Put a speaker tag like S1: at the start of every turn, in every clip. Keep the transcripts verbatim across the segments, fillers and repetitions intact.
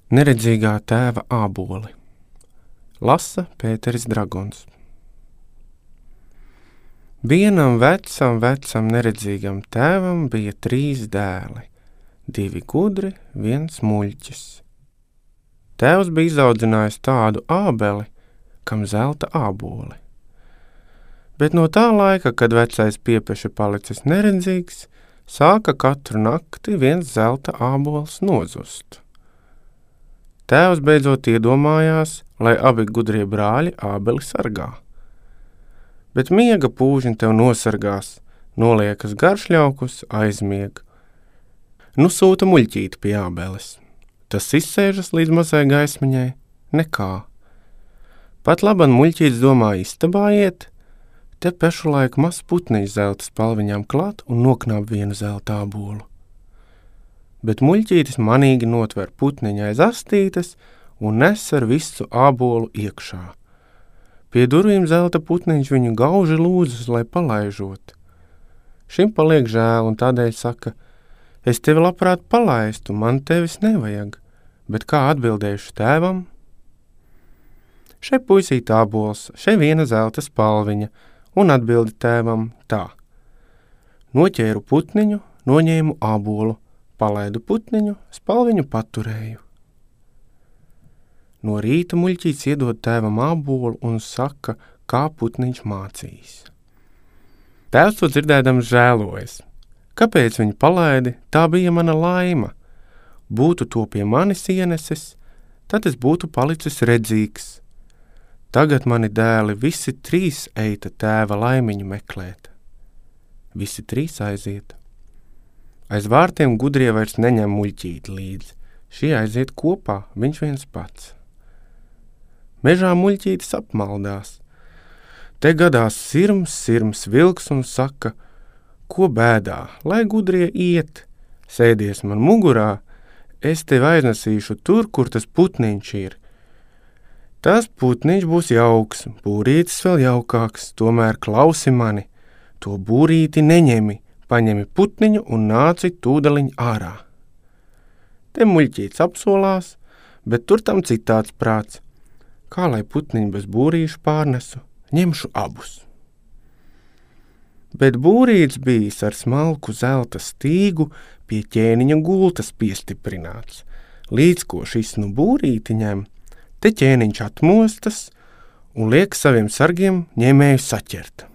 S1: Neredzīgā tēva āboli. Lasa Pēteris Dragons. Vienam vecam, vecam neredzīgam tēvam bija trīs dēli, divi gudri, viens muļķis. Tēvs bija izaudzinājis tādu ābeli, kam zelta āboli. Bet no tā laika, kad vecais piepeši palicis neredzīgs, sāka katru nakti viens zelta ābols nozust. Tēvs beidzot iedomājās, lai abi gudrie brāļi ābeli sargā. Bet miega pūžņi tev nosargās, noliekas garšļaukus, aizmieg. Nu sūta muļķīti pie ābeles. Tas izsēžas līdz mazai gaismiņai, nekā. Pat laban muļķītis domā istabā iet, te pešu laiku maz putniņš zelta spalviņām klāt un noknāp vienu zelta ābolu. Bet muļķītis manīgi notver putniņa aiz astītes un nes ar visu ābolu iekšā. Pie durvīm zelta putniņš viņu gauži lūdzas, lai palaižot. Šim paliek žēl un tādēļ saka, es tevi labprāt palaistu, man tevis nevajag, bet kā atbildējuši tēvam? Šai puisīt ābols, šai viena zelta spalviņa, un atbildi tēvam tā. Noķēru putniņu, noņēmu ābolu, palaidu putniņu, spalviņu paturēju. No rīta muļķītis iedod tēvam ābolu un saka, kā putniņš mācīs. Tēvs to dzirdēdams žēlojas. Kāpēc viņu palaidi? Tā bija mana laima. Būtu to pie manis ienesis, tad es būtu palicis redzīgs. Tagad mani dēli visi trīs eita tēva laimiņu meklēt. Visi trīs aiziet. Aiz vārtiem gudrie vairs neņem muļķīti līdzi. Šie aiziet kopā, viņš viens pats. Mežā muļķītis apmaldās. Te gadās sirms, sirms vilks un saka, ko bēdā, lai gudrie iet, sēdies man mugurā, es tevi aiznesīšu tur, kur tas putniņš ir. Tas putniņš būs jauks, būrītis vēl jaukāks, tomēr klausi mani, to būrīti neņemi, paņemi putniņu un nāci tūdaliņ ārā. Te muļķītis apsolās, bet tur tam citāds prāts. Kā lai putniņu bez būrīšu pārnesu, ņemšu abus. Bet būrīts bijis ar smalku zelta stīgu pie ķēniņa gultas piestiprināts. Līdz ko šis nu būrīti ņem, te ķēniņš atmostas un liek saviem sargiem ņēmēju saķert.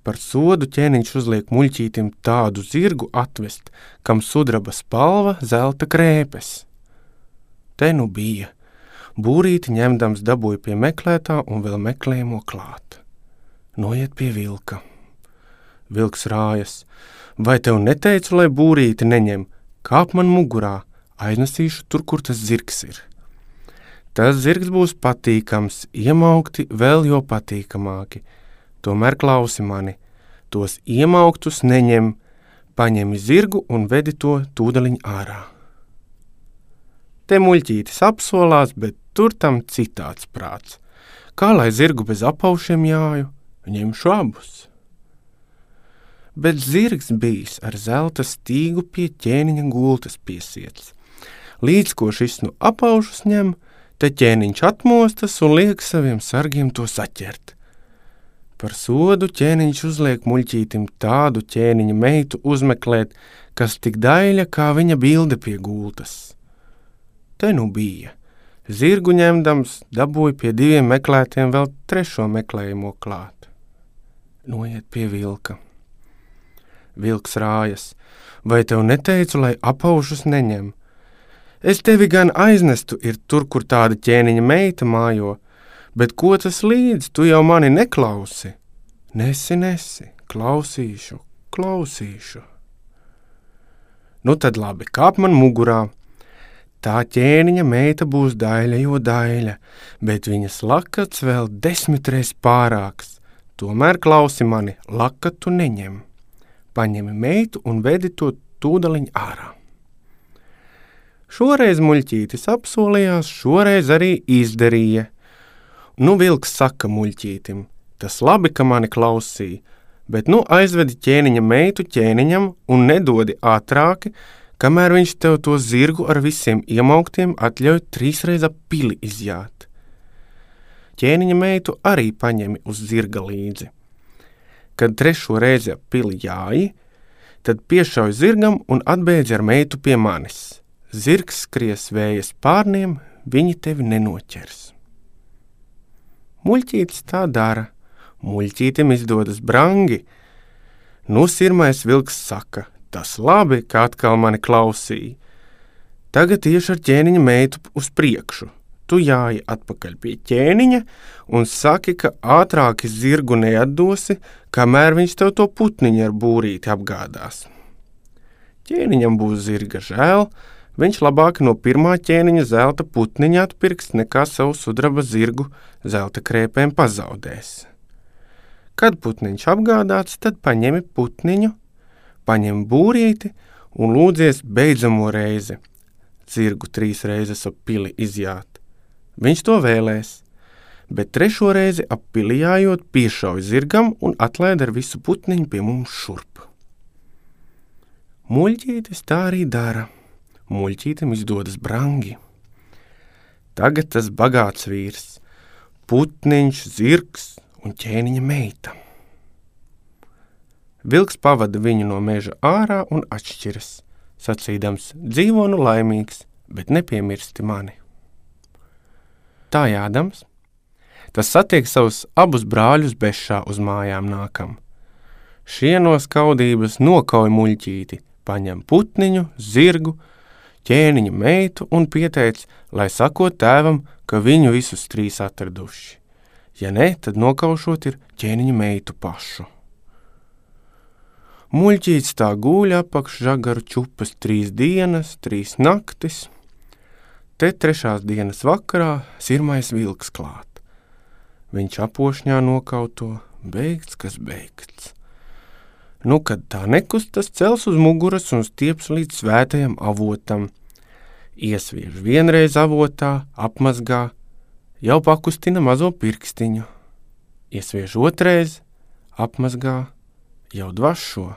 S1: Par sodu ķēniņš uzliek muļķītim tādu zirgu atvest, kam sudraba spalva zelta krēpes. Te nu bija. Būrīti ņemdams dabūja pie meklētā un vēl meklējamo klāt. Noiet pie vilka. Vilks rājas. Vai tev neteicu, lai būrīti neņem? Kāp man mugurā, aiznesīšu tur, kur tas zirgs ir. Tas zirgs būs patīkams, iemaukti vēl jo patīkamāki. Tomēr klausi mani, tos iemauktus neņem, paņemi zirgu un vedi to tūdaliņ ārā. Te muļķītis apsolās, bet tur tam citāds prāts. Kā lai zirgu bez apaušiem jāju, ņemšu abus. Bet zirgs bijis ar zelta stīgu pie ķēniņa gultas piesiets. Līdz ko šis nu apaušus ņem, te ķēniņš atmostas un liek saviem sargiem to saķert. Par sodu ķēniņš uzliek muļķītim tādu ķēniņa meitu uzmeklēt, kas tik daļa kā viņa bilde pie gultas. Te nu bija. Zirgu ņemdams dabūja pie diviem meklētiem vēl trešo meklējamo klāt. Noiet pie vilka. Vilks rājas. Vai tev neteicu, lai apaušus neņem? Es tevi gan aiznestu ir tur, kur tāda ķēniņa meita mājo, bet ko tas līdz, tu jau mani neklausi? Nesi, nesi, klausīšu, klausīšu. Nu tad labi, kāp man mugurā. Tā ķēniņa meita būs daļa, jo daļa, bet viņas lakats vēl desmitreiz pārāks. Tomēr klausi mani, lakatu neņem. Paņemi meitu un vedi to tūdaliņ ārā. Šoreiz muļķītis apsolījās, šoreiz arī izdarīja. Nu vilks saka muļķītim, tas labi, ka mani klausīja, bet nu aizvedi ķēniņa meitu ķēniņam un nedodi ātrāki, kamēr viņš tev to zirgu ar visiem iemauktiem atļauj trīsreiz ap pili izjāt. Ķēniņa meitu arī paņemi uz zirga līdzi. Kad trešo reizi ap pili jāji, tad piešauj zirgam un atbēdzi ar meitu pie manis. Zirgs skries vēja spārniem, viņi tevi nenoķers. Muļķītis tā dara. Muļķītim izdodas brangi. Nu, sirmais vilks saka, tas labi, ka atkal mani klausīja. Tagad tieši ar ķēniņa meitu uz priekšu. Tu jāji atpakaļ pie ķēniņa un saki, ka ātrāki zirgu neatdosi, kamēr viņš tev to putniņu ar būrīti apgādās. Ķēniņam būs zirga žēl, viņš labāk no pirmā ķēniņa zelta putniņa atpirks, nekā savu sudraba zirgu zelta krēpēm pazaudēs. Kad putniņš apgādāts, tad paņemi putniņu, paņem būrīti un lūdzies beidzamo reizi. Zirgu trīs reizes ap pili izjāt. Viņš to vēlēs, bet trešo reizi ap pili jājot piešauj zirgam un atlaid ar visu putniņu pie mums šurp. Muļķītis tā arī dara. Muļķītim izdodas brangi. Tagad tas bagāts vīrs, putniņš, zirgs un ķēniņa meita. Vilks pavada viņu no meža ārā un atšķiras, sacīdams, dzīvo nu laimīgs, bet nepiemirsti mani. Tā jādams, tas satiek savus abus brāļus bešā uz mājām nākam. Šie no skaudības nokauj muļķīti, paņem putniņu, zirgu, ķēniņa meitu un pieteic, lai sakot tēvam, ka viņu visus trīs atraduši. Ja ne, tad nokaušot ir ķēniņa meitu pašu. Muļķītis tā guļ apakš žagaru čupas trīs dienas, trīs naktis. Te trešās dienas vakarā sirmais vilks klāt. Viņš apošņā nokauto, beigts, kas beigts. Nu, kad tā nekustas, cels uz muguras un stieps līdz svētajam avotam. Iesviež vienreiz avotā, apmazgā, jau pakustina mazo pirkstiņu. Iesviež otreiz, apmazgā, jau dvašo.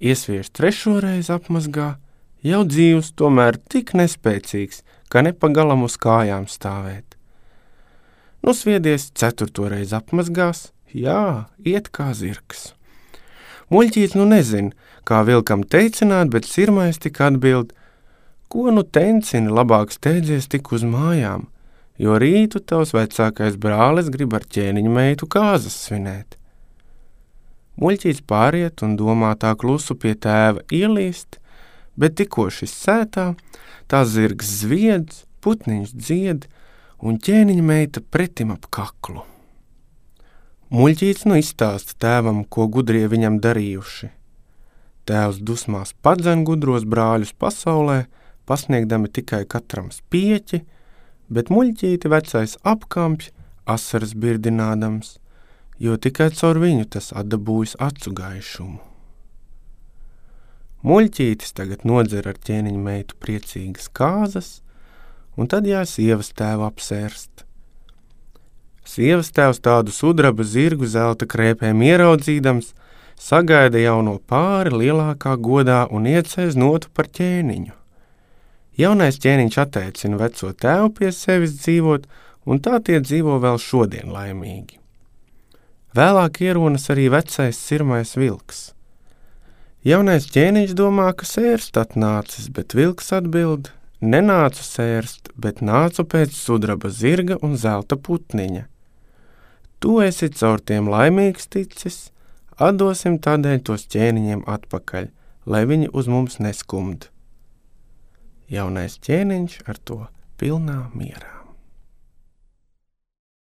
S1: Iesviež trešoreiz apmazgā, jau dzīvs, tomēr tik nespēcīgs, ka nepagalam uz kājām stāvēt. Nu, sviedies ceturtoreiz apmazgās, jā, iet kā zirgs. Muļķītis nu nezin, kā vilkam teicināt, bet sirmais tik atbild, ko nu tencini, labāk steidzies tik uz mājām, jo rītu tavs vecākais brālis grib ar ķēniņa meitu kāzas svinēt. Muļķītis pāriet un domā tā klusu pie tēva ielīst, bet tikko šis sētā, tā zirgs zviedz, putniņš dzied un ķēniņa meita pretim ap kaklu. Muļķītis nu izstāsta tēvam, ko gudrie viņam darījuši. Tēvs dusmās padzen gudros brāļus pasaulē, pasniegdami tikai katram spieķi, bet muļķīti vecais apkampj, asaras birdinādams, jo tikai caur viņu tas atdabūjis acu gaišumu. Muļķītis tagad nodzer ar ķēniņa meitu priecīgas kāzas, un tad jās sievas tēvu apsērst. Sievas tēvs tādu sudraba zirgu zelta krēpēm ieraudzīdams, sagaida jauno pāri lielākā godā un iecēs notu par ķēniņu. Jaunais ķēniņš atteicina veco tēvu pie sevis dzīvot, un tā tie dzīvo vēl šodien laimīgi. Vēlāk ieronas arī vecais sirmais vilks. Jaunais ķēniņš domā, ka sērst atnācis, bet vilks atbild, nenācu sērst, bet nācu pēc sudraba zirga un zelta putniņa. Tu esi caur tiem laimīgs ticis, atdosim tādēļ tos ķēniņiem atpakaļ, lai viņi uz mums neskumd. Jaunais ķēniņš ar to pilnā mierā.